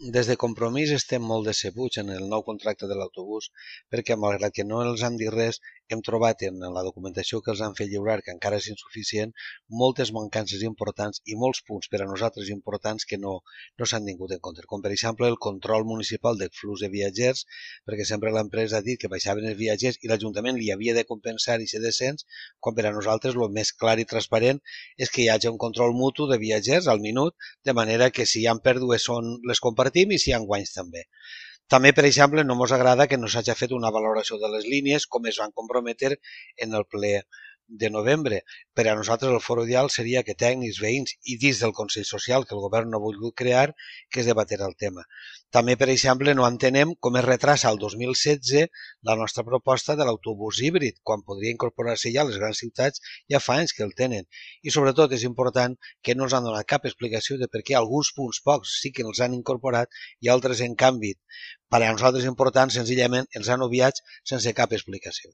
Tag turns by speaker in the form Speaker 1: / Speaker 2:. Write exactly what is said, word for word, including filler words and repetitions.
Speaker 1: Des de Compromís estem molt decebuts en el nou contracte de l'autobús perquè, malgrat que no els han dit res, hem trobat en la documentació que els han fet lliurar, que encara és insuficient, moltes mancances importants i molts punts per a nosaltres importants que no, no s'han tingut en compte. Com per exemple el control municipal del flux de viatgers, perquè sempre l'empresa ha dit que baixaven els viatgers i l'Ajuntament li havia de compensar aquest descens, quan per a nosaltres el més clar i transparent és que hi hagi un control mutu de viatgers al minut, de manera que si hi ha pèrdues són les compartim i si hi ha guanys també. També, per exemple, no ens agrada que no s'hagi fet una valoració de les línies com es van comprometre en el ple de novembre. Per a nosaltres el foro ideal seria que tècnics, veïns i dins del Consell Social que el govern no ha volgut crear, que es debatés el tema. També, per exemple, no entenem com es retrasa al dos mil setze la nostra proposta de l'autobús híbrid, quan podria incorporar-se ja a les grans ciutats, ja fa anys que el tenen. I sobretot és important que no ens han donat cap explicació de per què alguns punts, pocs, sí que els han incorporat i altres, en canvi, per a nosaltres importants, senzillament els han obviat sense cap explicació.